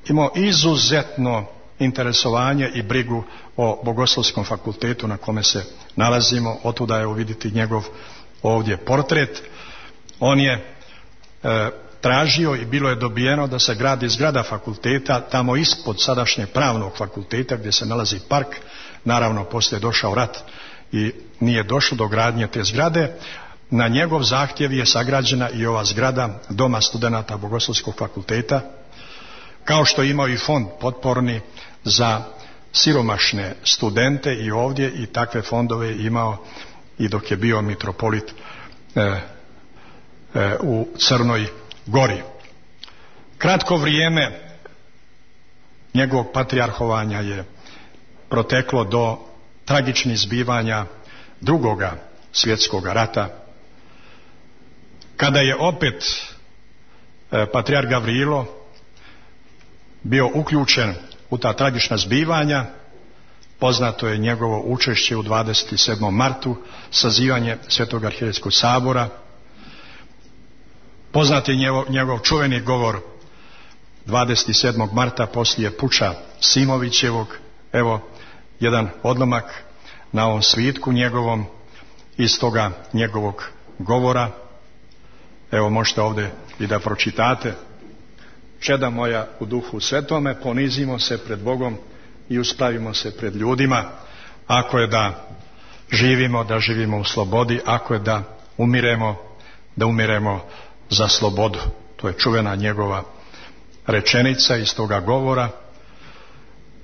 [SPEAKER 6] imao izuzetno interesovanje i brigu o Bogoslovskom fakultetu na kome se nalazimo. Otuda je uviditi njegov ovdje portret. On je tražio i bilo je dobijeno da se gradi zgrada fakulteta tamo ispod sadašnjeg pravnog fakulteta gdje se nalazi park. Naravno, poslije je došao rat i nije došlo do gradnje te zgrade. Na njegov zahtjev je sagrađena i ova zgrada Doma studenata Bogoslovskog fakulteta, kao što je imao i fond potporni za siromašne studente i ovdje, i takve fondove je imao i dok je bio mitropolit u Crnoj Gori. Kratko vrijeme njegovog patrijarhovanja je proteklo do tragičnih zbivanja Drugoga svjetskog rata, kada je opet patrijarh Gavrilo bio uključen u ta tragična zbivanja. Poznato je njegovo učešće u 27. martu, sazivanje Svetog arhijerejskog sabora. Poznat je njegov čuveni govor 27. marta poslije puča Simovićevog. Evo jedan odlomak na ovom svitku njegovom iz toga njegovog govora. Evo možete ovdje i da pročitate. Čeda moja u duhu svetome, ponizimo se pred Bogom i uspravimo se pred ljudima. Ako je da živimo u slobodi, ako je da umiremo za slobodu. To je čuvena njegova rečenica iz toga govora.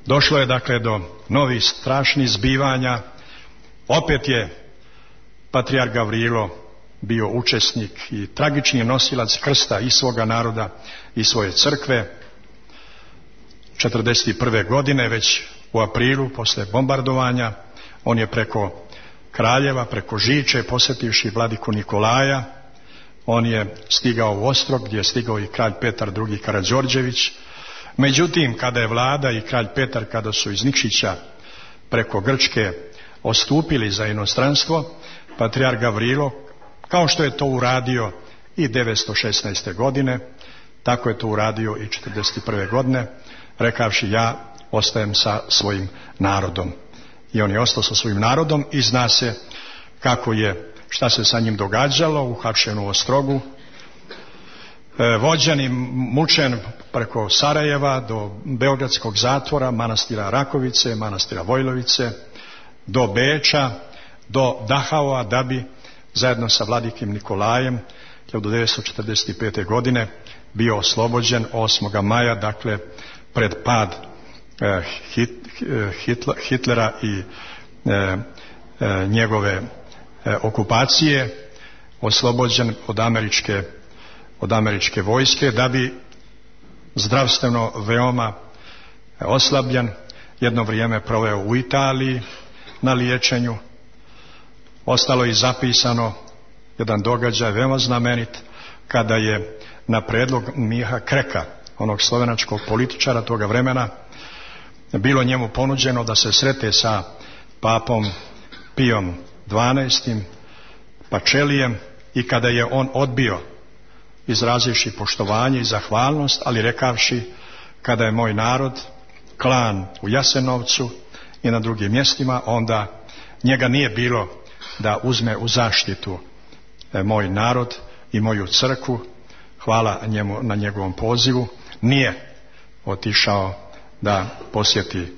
[SPEAKER 6] Došlo je dakle do novih strašnih zbivanja. Opet je patrijarh Gavrilo bio učesnik i tragični nosilac krsta i svoga naroda i svoje crkve. 41. godine, već u aprilu, posle bombardovanja, on je preko Kraljeva, preko Žiče, posjetivši vladiku Nikolaja, on je stigao u Ostrog, gdje je stigao i kralj Petar II. Karađorđević. Međutim, kada je vlada i kralj Petar, kada su iz Nikšića preko Grčke ostupili za inostranstvo, patrijarh Gavrilo, kao što je to uradio i 916. godine, tako je to uradio i 41. godine, rekavši ja ostajem sa svojim narodom. I on je ostao sa svojim narodom i zna se šta se sa njim događalo, uhapšen u Ostrogu, vođen i mučen preko Sarajeva do Beogradskog zatvora, manastira Rakovice, manastira Vojlovice, do Beča, do Dahaua, da bi zajedno sa vladikim Nikolajem 1945. godine bio oslobođen 8. maja, dakle pred pad Hitlera i njegove okupacije, oslobođen od američke vojske, da bi zdravstveno veoma oslabljen jedno vrijeme proveo u Italiji na liječenju. Ostalo je zapisano jedan događaj veoma znamenit, kada je na predlog Miha Kreka, onog slovenačkog političara toga vremena, bilo njemu ponuđeno da se srete sa papom Pijom XII, Pačelijem, i kada je on odbio, izrazivši poštovanje i zahvalnost, ali rekavši kada je moj narod klan u Jasenovcu i na drugim mjestima, onda njega nije bilo da uzme u zaštitu moj narod i moju crkvu. Hvala njemu na njegovom pozivu. Nije otišao da posjeti,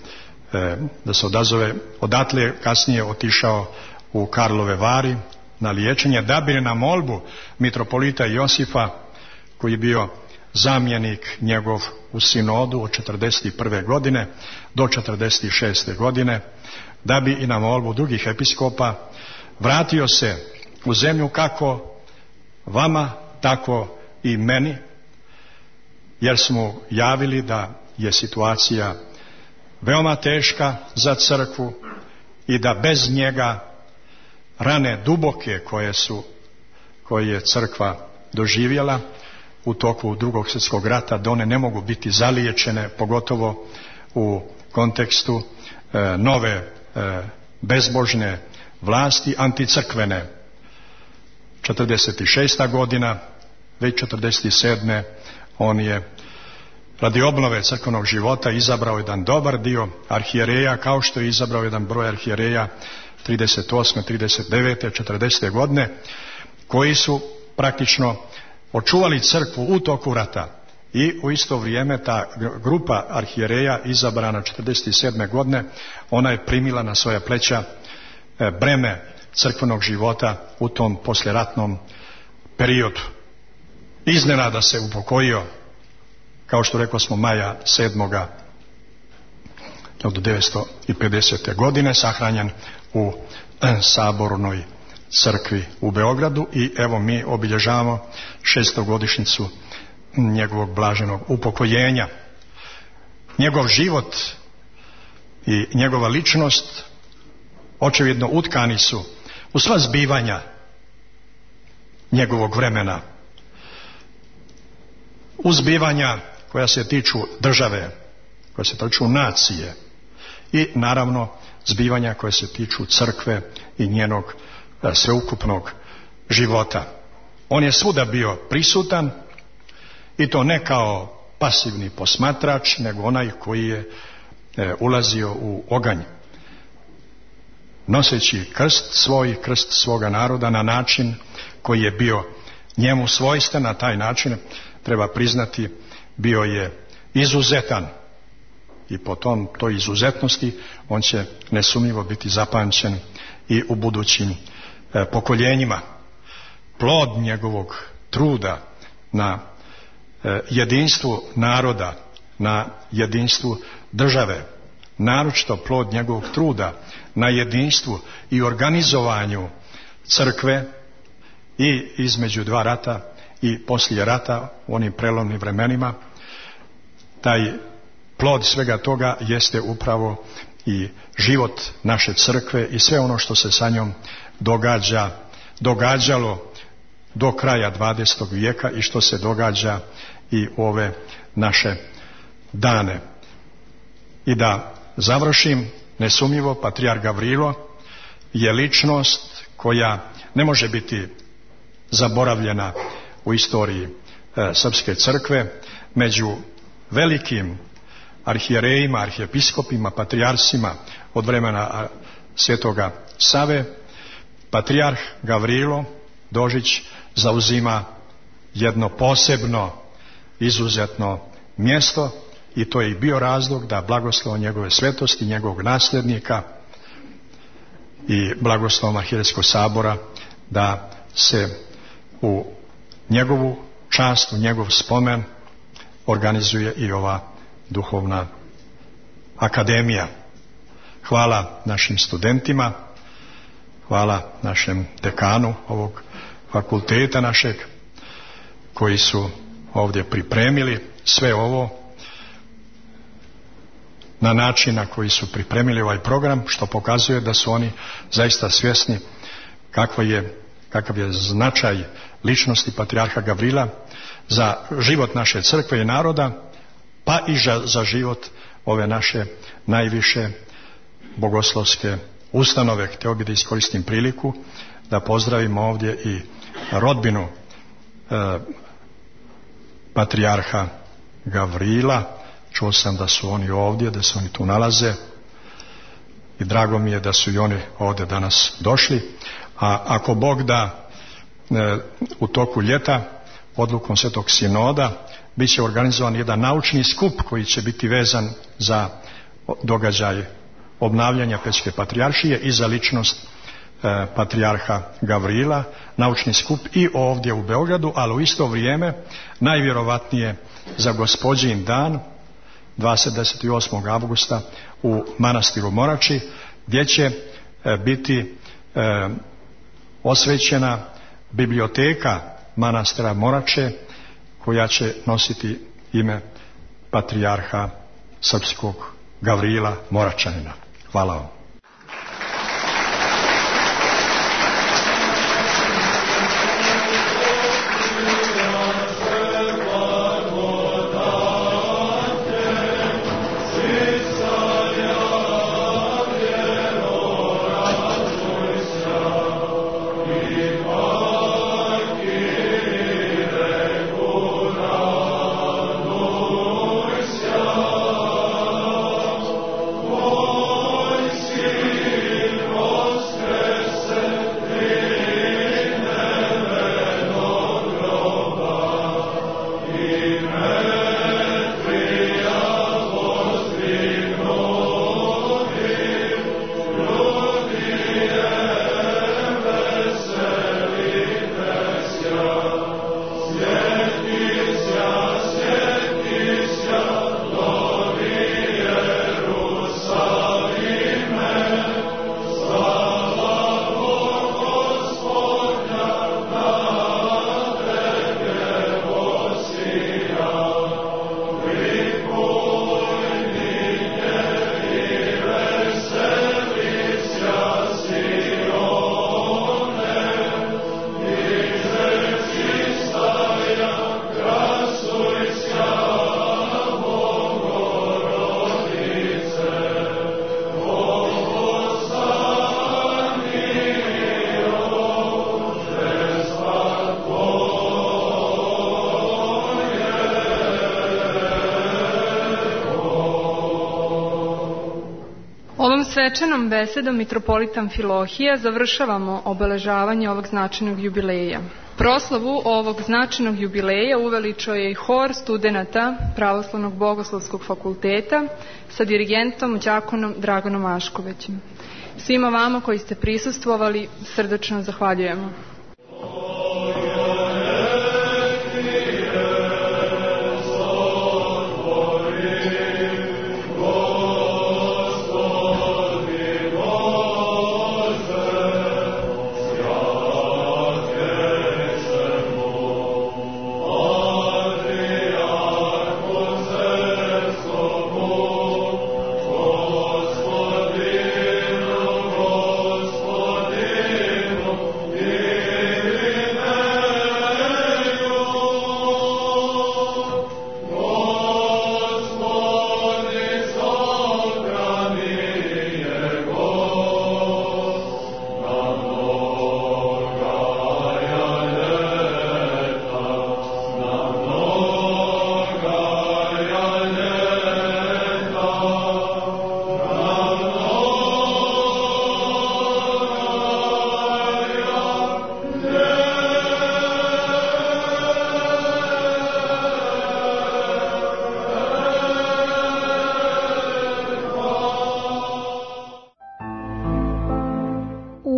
[SPEAKER 6] da se odazove. Odatle kasnije otišao u Karlove Vari na liječenje, da bi na molbu mitropolita Josifa, koji je bio zamjenik njegov u sinodu od 41. godine do 46. godine, da bi i na molbu drugih episkopa vratio se u zemlju, kako vama, tako i meni, jer smo javili da je situacija veoma teška za crkvu i da bez njega rane duboke koje je crkva doživjela u toku Drugog svjetskog rata, da one ne mogu biti zaliječene, pogotovo u kontekstu nove bezbožne vlasti, anticrkvene. 46. godina, već 47. on je radi obnove crkvenog života izabrao jedan dobar dio arhijereja, kao što je izabrao jedan broj arhijereja 38., 39., 40. godine, koji su praktično očuvali crkvu u toku rata. I u isto vrijeme ta grupa arhijereja izabrana 47. godine, ona je primila na svoja pleća breme crkvenog života u tom poslijeratnom periodu. Iznenada se upokojio, kao što rekao smo, maja 7. od 1950. godine, sahranjen u Sabornoj crkvi u Beogradu. I evo mi obilježavamo 600-godišnjicu njegovog blaženog upokojenja. Njegov život i njegova ličnost očevidno utkani su u sva zbivanja njegovog vremena, u zbivanja koja se tiču države, koje se tiču nacije i naravno zbivanja koje se tiču crkve i njenog sveukupnog života. On je svuda bio prisutan i to ne kao pasivni posmatrač, nego onaj koji je ulazio u oganj, noseći krst svoga naroda na način koji je bio njemu svojstven. Na taj način, treba priznati, bio je izuzetan i po toj izuzetnosti on će nesumnjivo biti zapamćen i u budućim pokoljenjima. Plod njegovog truda na jedinstvu naroda, na jedinstvu države, naročito plod njegovog truda na jedinstvu i organizovanju crkve i između dva rata i poslije rata u onim prelomnim vremenima, taj plod svega toga jeste upravo i život naše crkve i sve ono što se sa njom događalo do kraja 20. vijeka i što se događa i u ove naše dane. I da završim, nesumnjivo patrijarh Gavrilo je ličnost koja ne može biti zaboravljena u istoriji srpske crkve. Među velikim arhijerejima, arhijepiskopima, patrijarsima od vremena Svetoga Save, patrijarh Gavrilo Dožić zauzima jedno posebno, izuzetno mjesto i to je i bio razlog da blagoslovom njegove svetosti, njegovog nasljednika i blagoslovom arhijerejskog sabora da se u njegovu čast, u njegov spomen organizuje i ova duhovna akademija. Hvala našim studentima, hvala našem dekanu ovog fakulteta našeg koji su ovdje pripremili sve ovo na način na koji su pripremili ovaj program, što pokazuje da su oni zaista svjesni kakav je značaj ličnosti patrijarha Gavrila za život naše crkve i naroda, pa i za život ove naše najviše bogoslovske ustanove. Htio bih da iskoristim priliku da pozdravimo ovdje i rodbinu patrijarha Gavrila. Čuo sam da su oni ovdje, da se oni tu nalaze i drago mi je da su i oni ovdje danas došli. A ako Bog da, u toku ljeta odlukom Svetog Sinoda bit će organizovan jedan naučni skup koji će biti vezan za događaj obnavljanja Pećke patrijaršije i za ličnost patrijarha Gavrila, naučni skup i ovdje u Beogradu, ali u isto vrijeme najvjerovatnije za Gospođin dan 28. avgusta u manastiru Morači, gdje će biti osvećena biblioteka manastira Morače koja će nositi ime patrijarha srpskog Gavrila Moračanina. Hvala vam.
[SPEAKER 1] Svečanom besedom mitropolita Amfilohija završavamo obeležavanje ovog značajnog jubileja. Proslavu ovog značajnog jubileja uveličao je i hor studenata Pravoslavnog bogoslovskog fakulteta sa dirigentom đakonom Draganom Aškovećem. Svima vama koji ste prisustvovali srdačno zahvaljujemo.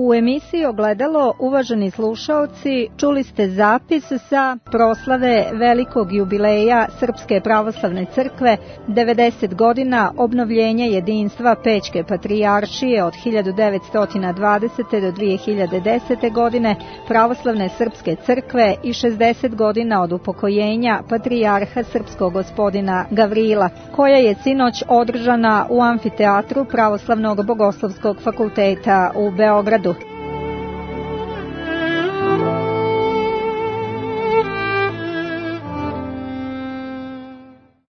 [SPEAKER 2] U emisiji Ogledalo, uvaženi slušaoci, čuli ste zapis sa proslave velikog jubileja Srpske pravoslavne crkve, 90 godina obnovljenja jedinstva Pećke patrijaršije od 1920. do 2010. godine, Pravoslavne srpske crkve i 60 godina od upokojenja patrijarha srpskog gospodina Gavrila, koja je sinoć održana u amfiteatru Pravoslavnog bogoslovskog fakulteta u Beogradu.